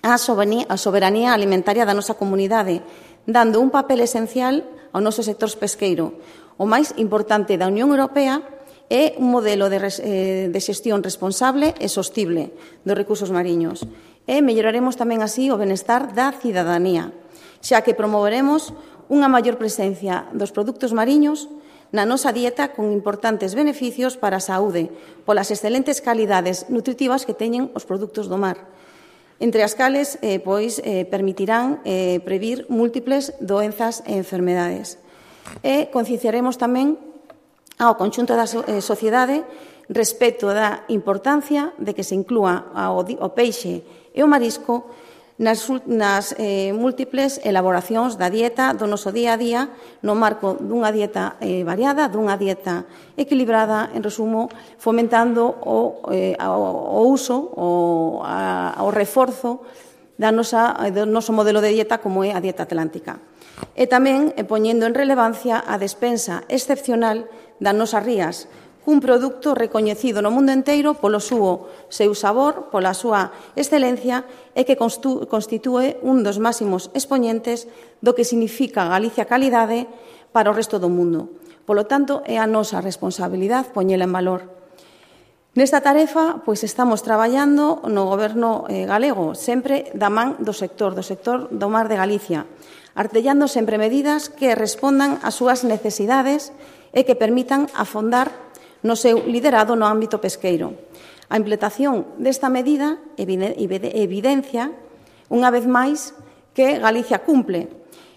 [SPEAKER 2] á soberanía alimentaria da nosa comunidade, dando un papel esencial ao noso sector pesqueiro. O máis importante da Unión Europea é un modelo de xestión responsable e sostible dos recursos mariños. E melloraremos tamén así o benestar da cidadanía, xa que promoveremos unha maior presencia dos produtos mariños na nosa dieta con importantes beneficios para a saúde polas excelentes calidades nutritivas que teñen os produtos do mar, entre as cales permitirán previr múltiples doenzas e enfermedades. E concienciaremos tamén ao conxunto da sociedade respecto da importancia de que se inclúa o peixe e o marisco nas múltiples elaboracións da dieta do noso día a día no marco dunha dieta variada, dunha dieta equilibrada, en resumo, fomentando o uso, o reforzo do noso modelo de dieta como é a dieta atlántica. E tamén poñendo en relevancia a despensa excepcional das nosas rías, un produto recoñecido no mundo enteiro polo seu sabor, pola súa excelencia e que constitúe un dos máximos expoñentes do que significa Galicia calidade para o resto do mundo. Polo tanto, é a nosa responsabilidade poñela en valor. Nesta tarefa, estamos traballando no Goberno galego, sempre da man do sector do mar de Galicia, artellando sempre medidas que respondan ás súas necesidades e que permitan afondar no seu liderado no ámbito pesqueiro. A implementación desta medida evidencia, unha vez máis, que Galicia cumple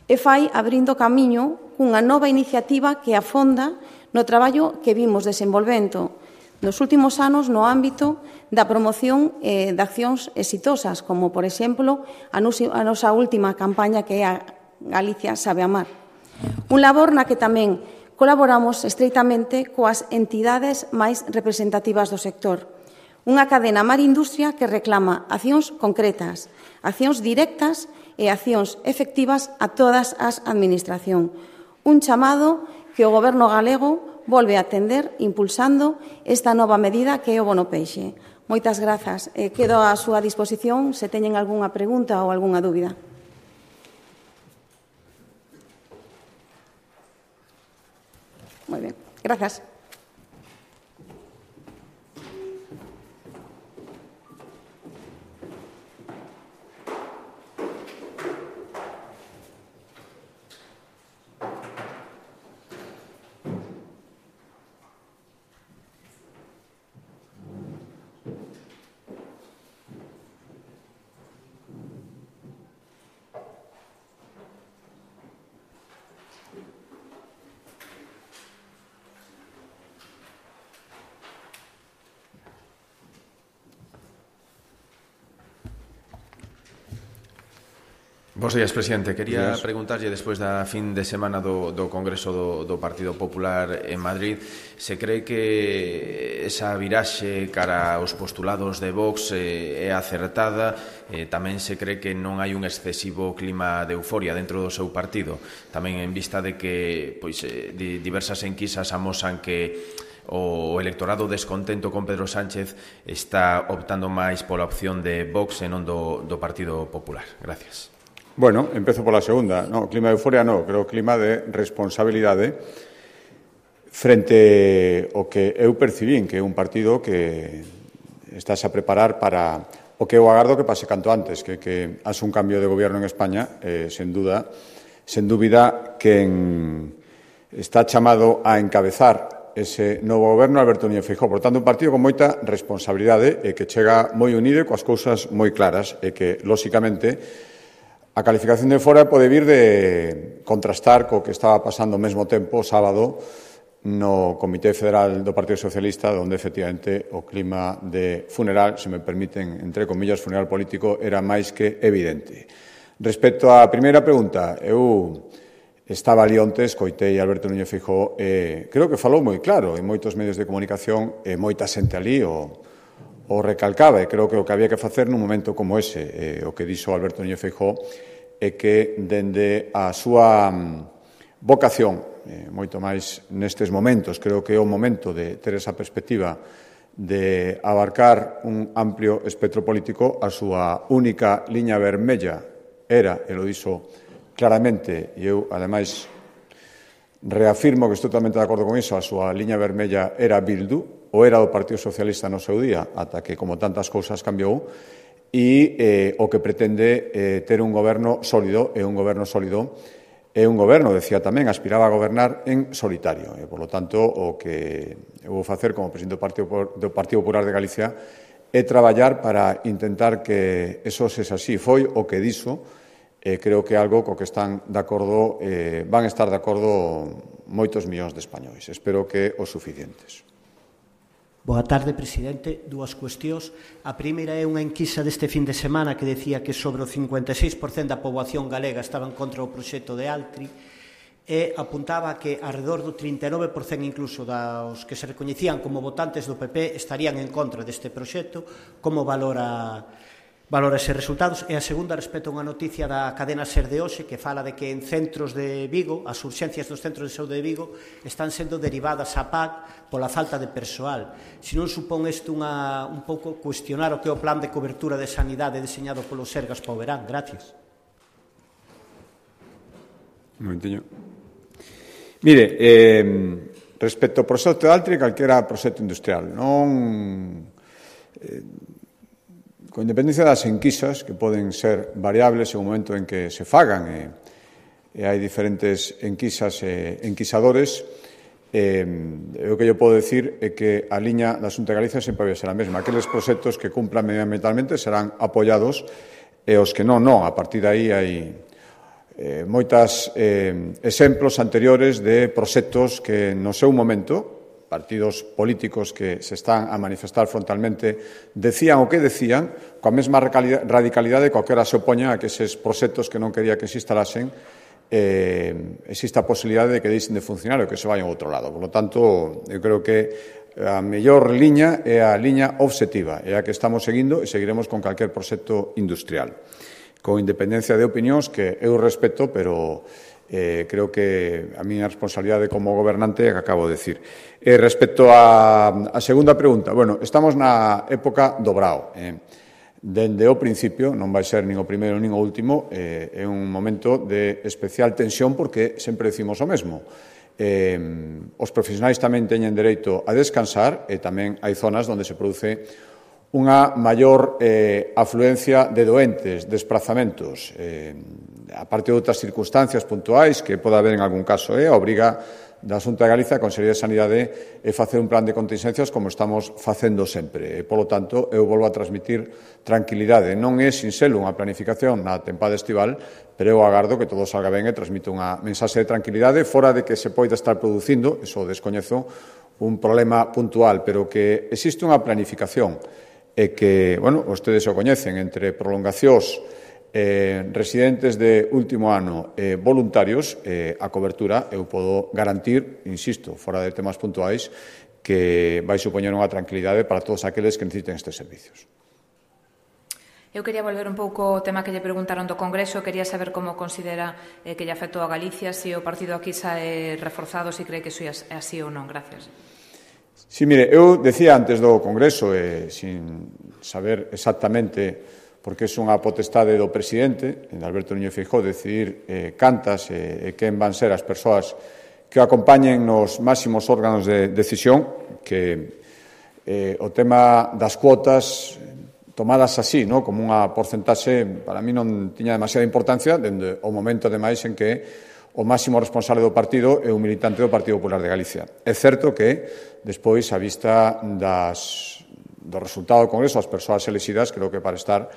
[SPEAKER 2] e fai abrindo camiño cunha nova iniciativa que afonda no traballo que vimos desenvolvendo nos últimos anos no ámbito da promoción de accións exitosas, como, por exemplo, a nosa última campaña que é a Galicia sabe amar. Un labor na que tamén colaboramos estreitamente coas entidades máis representativas do sector. Unha cadena mar-industria que reclama accións concretas, accións directas e accións efectivas a todas as administracións. Un chamado que o Goberno galego volve a atender impulsando esta nova medida que é o bono peixe. Moitas grazas. Quedo á súa disposición se teñen algunha pregunta ou algunha dúbida. Muy bien, gracias.
[SPEAKER 3] Bos días, presidente. Quería preguntarlle, despois da fin de semana do Congreso do Partido Popular en Madrid, se cree que esa viraxe cara aos postulados de Vox é acertada, tamén se cree que non hai un excesivo clima de euforia dentro do seu partido, tamén en vista de que diversas enquisas amosan que o electorado descontento con Pedro Sánchez está optando máis pola opción de Vox e non do Partido Popular. Gracias.
[SPEAKER 1] Bueno, empezo pola segunda. No, clima de euforia no, creo clima de responsabilidade frente ao que eu percibín, que é un partido que estás a preparar para o que eu agardo que pase canto antes, que haxe un cambio de goberno en España, sen dúbida, quen está chamado a encabezar ese novo goberno Alberto Núñez Feijóo. Por tanto, un partido con moita responsabilidade e que chega moi unido e coas cousas moi claras e que, lóxicamente, a calificación de fora pode vir de contrastar co que estaba pasando ao mesmo tempo o sábado no Comité Federal do Partido Socialista, onde, efectivamente, o clima de funeral, se me permiten, entre comillas, funeral político, era máis que evidente. Respecto á primeira pregunta, eu estaba ali onte, escoitei a Alberto Núñez Feijóo e creo que falou moi claro en moitos medios de comunicación e moita xente ali o recalcaba, e creo que o que había que facer nun momento como ese, o que dixo Alberto Núñez Feijóo, é que dende a súa vocación, moito máis nestes momentos, creo que é o momento de ter esa perspectiva de abarcar un amplio espectro político, a súa única liña vermella era, e lo dixo claramente, e eu, ademais, Reafirmo que estou totalmente de acordo con iso, a súa liña vermella era Bildu, ou era do Partido Socialista no seu día, ata que, como tantas cousas, cambiou, e o que pretende ter un goberno sólido, e un goberno sólido é un goberno, decía tamén, aspiraba a gobernar en solitario. E, por lo tanto, o que eu vou facer como presidente do Partido Popular de Galicia é traballar para intentar que eso sexa así. Foi o que dixo, creo que é algo co que están de acordo, van estar de acordo moitos millóns de españois. Espero que os suficientes.
[SPEAKER 4] Boa tarde, presidente. Dúas cuestións. A primeira é unha enquisa deste fin de semana que decía que sobre o 56% da poboación galega estaban contra o proxecto de Altri e apuntaba que alrededor do 39% incluso dos que se recoñecían como votantes do PP estarían en contra deste proxecto. Como valora eses resultados? E a segunda, respecto a unha noticia da cadena SER de hoxe que fala de que en centros de Vigo, as urxencias dos centros de saúde de Vigo están sendo derivadas a PAC pola falta de persoal. Se non supón isto un pouco cuestionar o que é o plan de cobertura de sanidade deseñado polo Sergas para o verán? Gracias.
[SPEAKER 1] Un momentiño. Mire, respecto ao proxecto de Altri, calquera proxecto industrial, non... con independencia das enquisas, que poden ser variables en o momento en que se fagan, e hai diferentes enquisas e enquisadores, o que eu podo decir é que a liña da Xunta de Galicia sempre vai ser a mesma. Aqueles proxectos que cumplan medioambientalmente serán apoiados e os que non. A partir de aí hai moitos exemplos anteriores de proxectos que no seu momento partidos políticos que se están a manifestar frontalmente decían o que decían coa mesma radicalidade que calquera se opoña a que eses proxectos que non quería que se instalasen exista a posibilidade de que deixen de funcionar ou que se vayan a outro lado. Por lo tanto, eu creo que a mellor liña é a liña obxectiva, é a que estamos seguindo e seguiremos con calquer proxecto industrial. Con independencia de opinións que eu respeto, pero creo que a miña responsabilidade como gobernante é que acabo de decir. Respecto a segunda pregunta, bueno, estamos na época do brao. Dende o principio, non vai ser nin o primeiro nin o último, é un momento de especial tensión porque sempre decimos o mesmo. Os profesionais tamén teñen dereito a descansar e tamén hai zonas onde se produce unha maior afluencia de doentes, desprazamentos, a parte de outras circunstancias puntuais que pode haber en algún caso, a obriga da Xunta de Galicia, a Consellería de Sanidade, é facer un plan de contingencias como estamos facendo sempre. Polo tanto, eu volvo a transmitir tranquilidade. Non é sinxelo unha planificación na tempada estival, pero eu agardo que todo salga ben e transmito unha mensaxe de tranquilidade fora de que se poida estar producindo, eso descoñezo, un problema puntual, pero que existe unha planificación e que, bueno, vostedes o coñecen, entre prolongacións, residentes de último ano e voluntarios, a cobertura eu podo garantir, insisto, fora de temas puntuais, que vai supoñer unha tranquilidade para todos aqueles que necesiten estes servicios.
[SPEAKER 5] Eu quería volver un pouco ao tema que lle preguntaron do Congreso. Quería saber como considera que lle afectou a Galicia, se o partido aquí sae reforzado, se cree que iso é así ou non. Gracias.
[SPEAKER 1] Sí, mire, eu decía antes do Congreso, sin saber exactamente, porque é unha potestade do presidente, de Alberto Núñez Feijóo, decidir cantas e quen van ser as persoas que o acompañen nos máximos órganos de decisión, que o tema das cuotas tomadas así, como unha porcentaxe, para mí non tiña demasiada importancia, dende o momento, ademais, en que o máximo responsable do partido é un militante do Partido Popular de Galicia. É certo que, despois, a vista do resultado do Congreso, as persoas elexidas, creo que para estar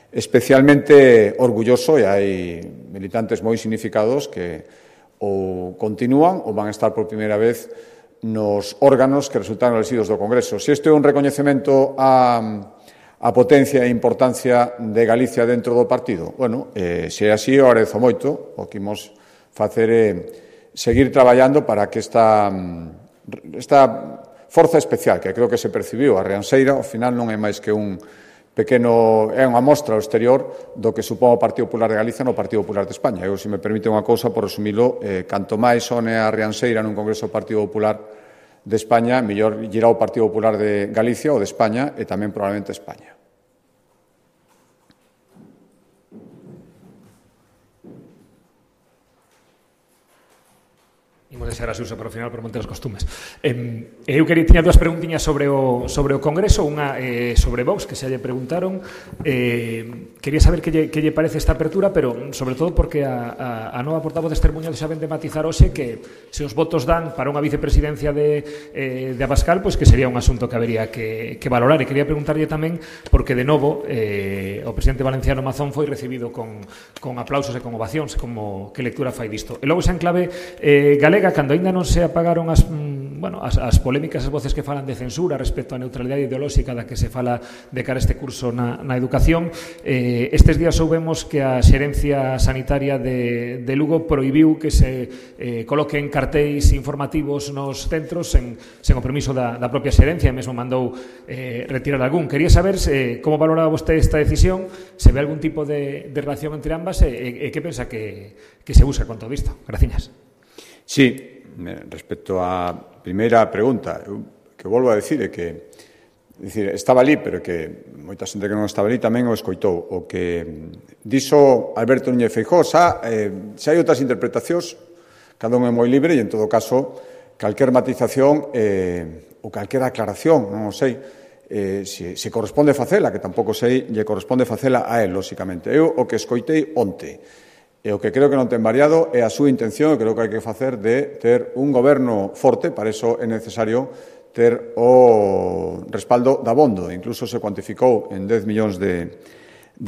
[SPEAKER 1] especialmente orgulloso, e hai militantes moi significados que ou continúan ou van a estar por primeira vez nos órganos que resultaron elexidos do Congreso. Se isto é un recoñecemento a potencia e importancia de Galicia dentro do partido, bueno, se é así, eu agradezo moito. O que imos facer é seguir traballando para que esta forza especial, que creo que se percibiu a Rianxeira, ao final non é máis que un pequeno, é unha mostra ao exterior do que supón o Partido Popular de Galicia no Partido Popular de España. Eu, se me permite unha cousa, por resumilo, canto máis sone a Rianxeira nun Congreso do Partido Popular de España, mellor irá o Partido Popular de Galicia ou de España e tamén probablemente España.
[SPEAKER 6] Imos deixar a Susa para o final por manter os costumes. Eu tiña dúas preguntiñas sobre o Congreso, unha sobre Vox, que se lle preguntaron. Quería saber que lle parece esta apertura, pero sobre todo porque a nova portavoz Esther Muñoz xa ven de matizar hoxe que se os votos dan para unha vicepresidencia de Abascal, pois que sería un asunto que habería que valorar. E quería preguntarlle tamén porque, de novo, o presidente valenciano Mazón foi recibido con aplausos e con ovacións, como que lectura fai disto. E logo xa en clave galega, cando aínda non se apagaron as polémicas, as voces que falan de censura respecto á neutralidade ideolóxica da que se fala de cara a este curso na educación, estes días soubemos que a Xerencia Sanitaria de Lugo prohibiu que se coloquen cartéis informativos nos centros sen o permiso da propia Xerencia, e mesmo mandou retirar algún. Quería saber como valoraba vostede esta decisión, se ve algún tipo de relación entre ambas e que pensa que se busca con todo isto. Graciñas.
[SPEAKER 1] Sí, respecto á primeira pregunta, que volvo a decir é que estaba ali, pero que moita xente que non estaba ali tamén o escoitou. O que dixo Alberto Núñez Feijóo, xa hai outras interpretacións, cada un é moi libre, e en todo caso, calquer matización ou calquer aclaración, non o sei, se corresponde facela, que tampouco sei, lle corresponde facela a él, lóxicamente. Eu o que escoitei onte, e o que creo que non ten variado é a súa intención, e creo que hai que facer de ter un goberno forte. Para iso é necesario ter o respaldo da Abondo. Incluso se cuantificou en 10 millóns de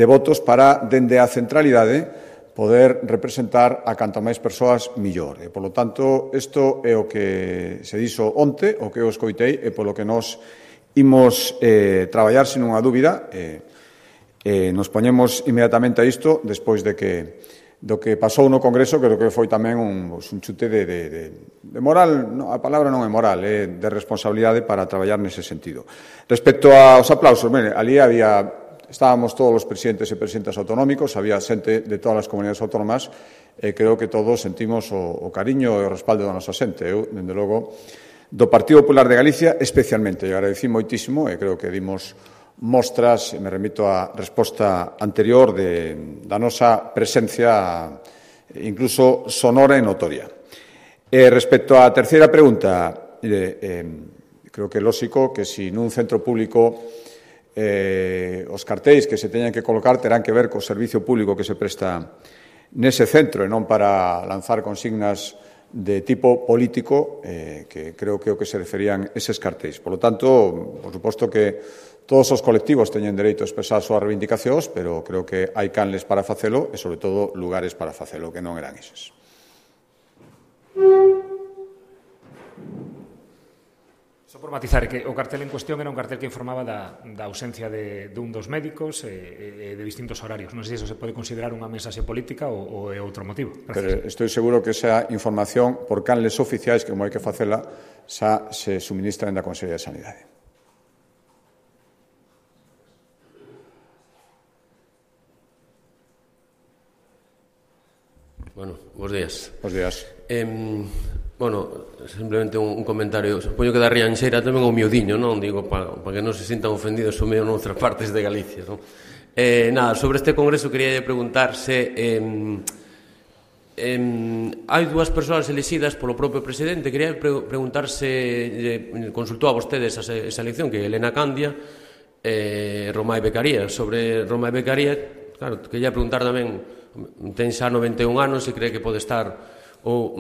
[SPEAKER 1] votos para, dende a centralidade, poder representar a canta máis persoas millor. E, polo tanto, isto é o que se dixo onte, o que eu escoitei, e polo que nos imos traballar, sin unha dúbida. Nos poñemos inmediatamente a isto, despois do que pasou no Congreso, creo que foi tamén un chute de moral, a palabra non é moral, é de responsabilidade para traballar nese sentido. Respecto aos aplausos, ali estábamos todos os presidentes e presidentas autonómicos, había xente de todas as comunidades autónomas, e creo que todos sentimos o cariño e o respaldo da nosa xente. Eu, dende logo, do Partido Popular de Galicia, especialmente, e agradecí moitísimo, e creo que dimos mostras, me remito á resposta anterior, da nosa presencia incluso sonora e notoria. Respecto á terceira pregunta, creo que é lóxico que se nun centro público os cartéis que se teñan que colocar terán que ver co servicio público que se presta nese centro, e non para lanzar consignas de tipo político, que creo que é o que se referían eses cartéis. Por lo tanto, por suposto que todos os colectivos teñen dereito a expresar as súas reivindicacións, pero creo que hai canles para facelo e, sobre todo, lugares para facelo, que non eran eses.
[SPEAKER 6] Só por matizar que o cartel en cuestión era un cartel que informaba da ausencia de un dos médicos e de distintos horarios. Non sei se iso se pode considerar unha mensaxe política ou é outro motivo.
[SPEAKER 1] Pero estou seguro que esa información, por canles oficiais, que como hai que facela, xa se suministra na Consellería de Sanidade.
[SPEAKER 7] Bueno, bons días.
[SPEAKER 1] Bons días.
[SPEAKER 7] Simplemente un comentario. Supoño que da Rianxeira tamén o miudiño, non? Digo, para que non se sintan ofendidos o medio noutras partes de Galicia, non? Sobre este congreso quería preguntarse hai dúas persoas elixidas polo propio presidente. Quería preguntarse, consultou a vostedes esa elección, que é Elena Candia e Romai Beccaria. Sobre Romai Beccaria, claro, quería preguntar tamén, ten xa 91 anos e cree que pode estar ou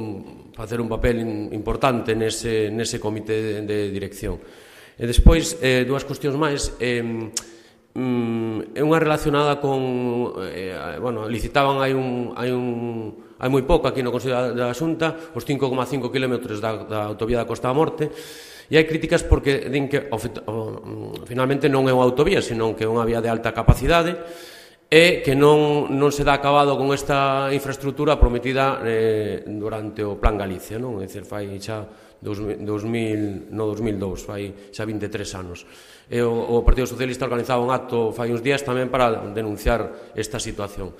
[SPEAKER 7] facer un papel importante nese comité de dirección. E despois, dúas cuestións máis. É unha relacionada con... licitaban hai moi pouco aquí no Consello da Xunta os 5,5 km da autovía da Costa da Morte, e hai críticas porque din que finalmente non é unha autovía, senón que é unha vía de alta capacidade, e que non se dá acabado con esta infraestructura prometida durante o Plan Galicia, non? É dicir, fai xa 2002, fai xa 23 anos. E o Partido Socialista organizaba un acto fai uns días tamén para denunciar esta situación.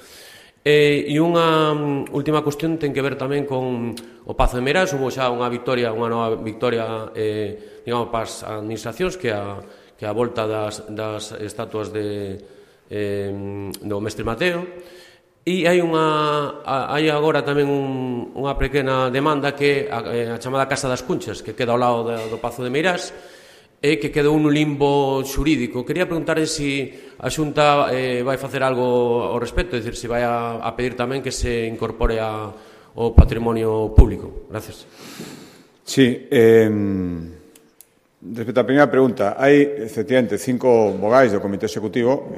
[SPEAKER 7] E unha última cuestión ten que ver tamén con o Pazo de Meirás. Hubo xa unha nova victoria, digamos, para as administracións, que a volta das estatuas do Mestre Mateo, E hai agora tamén unha pequena demanda que é a chamada Casa das Cunchas, que queda ao lado do Pazo de Meirás, e que quedou nun limbo xurídico. Quería preguntarle se a Xunta vai facer algo ao respecto, é dicir, se vai a pedir tamén que se incorpore ao patrimonio público. Gracias.
[SPEAKER 1] Sí, respecto á primeira pregunta, hai, efectivamente, 5 vogais do Comité Executivo,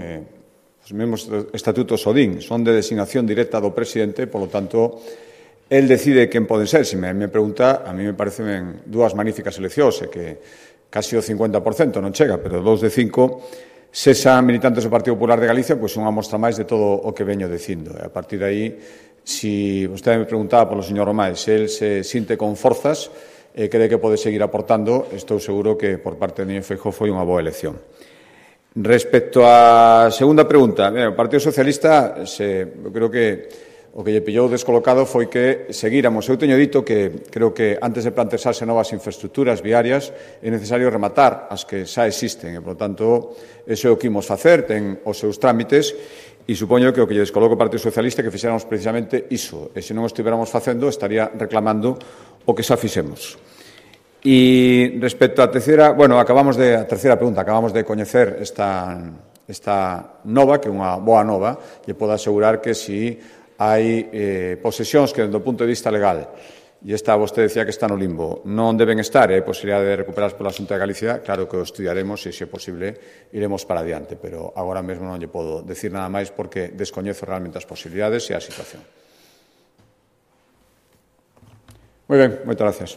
[SPEAKER 1] os mesmos estatutos ODIN, son de designación directa do presidente, polo tanto, el decide quen poden ser. Se me pregunta, a mí me parecen 2 magníficas eleccións, que casi o 50% non chega, pero 2 de 5, se xa militantes do Partido Popular de Galicia, pois unha mostra máis de todo o que veño dicindo. A partir de aí, se vostede me preguntaba polo señor Romai, se el se sinte con forzas, cree que pode seguir aportando, estou seguro que por parte de Núñez Feijóo foi unha boa elección. Respecto á segunda pregunta, o Partido Socialista, eu creo que o que lle pillou descolocado foi que seguíramos. Eu teño dito que creo que antes de plantearse novas infraestructuras viarias é necesario rematar as que xa existen e, por tanto, iso é o que imos facer, ten os seus trámites e supoño que o que lle descoloca o Partido Socialista é que fixéramos precisamente iso e se non o estiveramos facendo estaría reclamando o que xa fixemos. E respecto á terceira, a terceira pregunta, acabamos de coñecer esta nova, que é unha boa nova, e podo asegurar que si hai posesións que, do punto de vista legal, e esta vostede decía que está no limbo, non deben estar, e hai posibilidade de recuperarlas pola Xunta de Galicia, claro que o estudiaremos e, se é posible, iremos para adiante, pero agora mesmo non lle podo decir nada máis porque descoñezo realmente as posibilidades e a situación. Moi ben, moitas gracias.